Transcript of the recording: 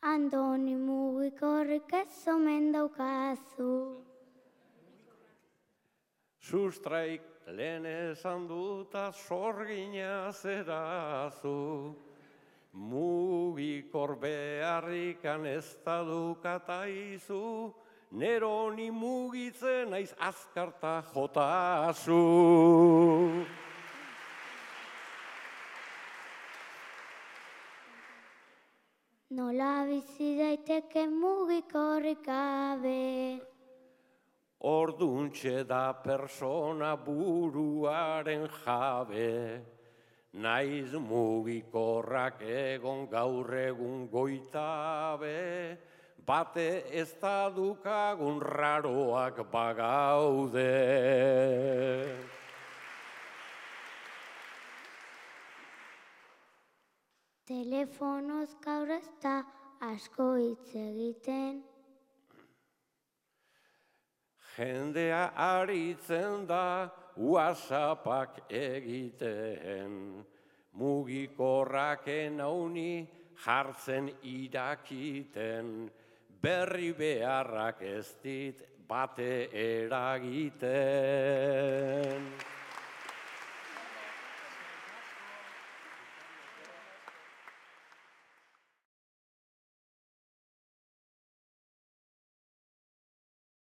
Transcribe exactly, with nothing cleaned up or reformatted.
Andoni mugikorrik ez omen daukazu. Sustraik lehen esan duta sorgina zerazu. Mugikor beharrikan ez da dukataizu, neroni mugitzen naiz azkarta jotazu. Nola bizi daiteke mugikorrik gabe? Orduntxe da persona buruaren jabe, naiz mugikorrak egon gaur egun goitabe, bate ez da dukagun raroak bagaude. Telefonoz gaur ez da asko hitz egiten. Jendea aritzen da WhatsAppak egiten, mugikorraken hauni jartzen irakiten, berri beharrak ez dit bate eragiten.